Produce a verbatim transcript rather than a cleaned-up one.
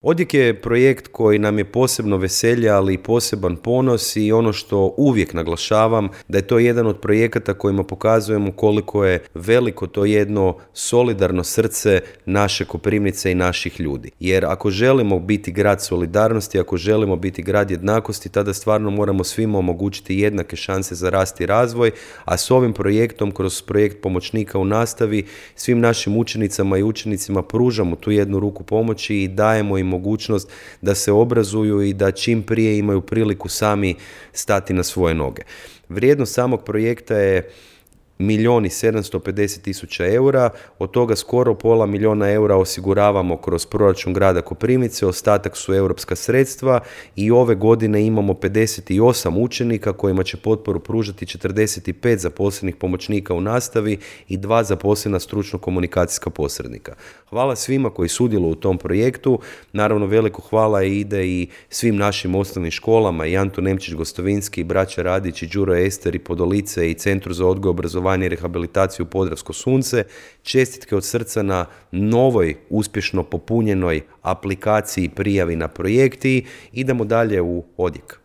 Odjek je projekt koji nam je posebno veselje, ali i poseban ponos i ono što uvijek naglašavam, da je to jedan od projekata kojima pokazujemo koliko je veliko to jedno solidarno srce naše Koprivnice i naših ljudi. Jer ako želimo biti grad solidarnosti, ako želimo biti grad jednakosti, tada stvarno moramo svima omogućiti jednake šanse za rast i razvoj, a s ovim projektom, kroz projekt pomoćnika u nastavi, svim našim učenicama i učenicima pružamo tu jednu ruku pomoći i dajemo im mogućnost da se obrazuju i da čim prije imaju priliku sami stati na svoje noge. Vrijednost samog projekta je milijun i sedamsto pedeset tisuća eura, od toga skoro pola milijuna eura osiguravamo kroz proračun grada Koprivnice, ostatak su europska sredstva i ove godine imamo pedeset osam učenika kojima će potporu pružati četrdeset pet zaposlenih pomoćnika u nastavi i dva zaposlena stručno-komunikacijska posrednika. Hvala svima koji sudjeluju u tom projektu, naravno veliko hvala ide i svim našim osnovnim školama, i Antun Nemčić Gostovinski, i Braća Radić, i Đuro Ester, i Podolice, i Centru za odgoj, obrazovanje i rehabilitaciju Podravsko sunce. Čestitke od srca na novoj, uspješno popunjenoj aplikaciji prijavi na projekti. Idemo dalje u odjek.